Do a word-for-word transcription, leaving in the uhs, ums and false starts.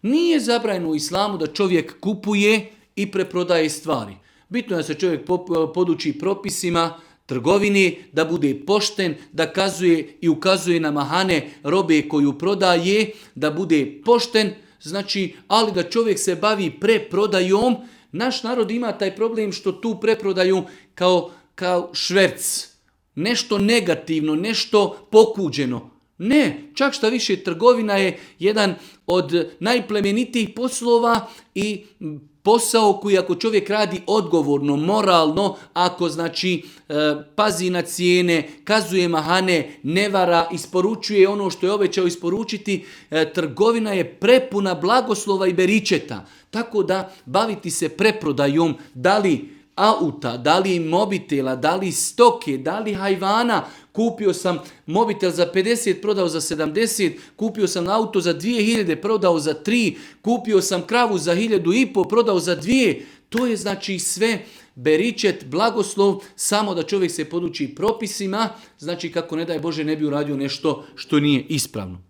Nije zabranjeno u islamu da čovjek kupuje i preprodaje stvari. Bitno je da se čovjek poduči propisima trgovini, da bude pošten, da kazuje i ukazuje na mahane robe koju prodaje, da bude pošten, znači, ali da čovjek se bavi preprodajom. Naš narod ima taj problem što tu preprodaju kao, kao šverc. Nešto negativno, nešto pokuđeno. Ne, čak šta više, trgovina je jedan od najplemenitijih poslova i posao koji ako čovjek radi odgovorno, moralno, ako znači e, pazi na cijene, kazuje mahane, ne vara, isporučuje ono što je obećao isporučiti, e, trgovina je prepuna blagoslova i beričeta. Tako da baviti se preprodajom, da li auta, da li mobitela, da li stoke, da li hajvana. Kupio sam mobitel za pedeset, prodao za sedamdeset, kupio sam auto za dvije hiljade, prodao za tri, kupio sam kravu za hiljadu i po, prodao za dvije. To je znači sve beričet, blagoslov, samo da čovjek se poduči propisima, znači kako ne daj Bože ne bi uradio nešto što nije ispravno.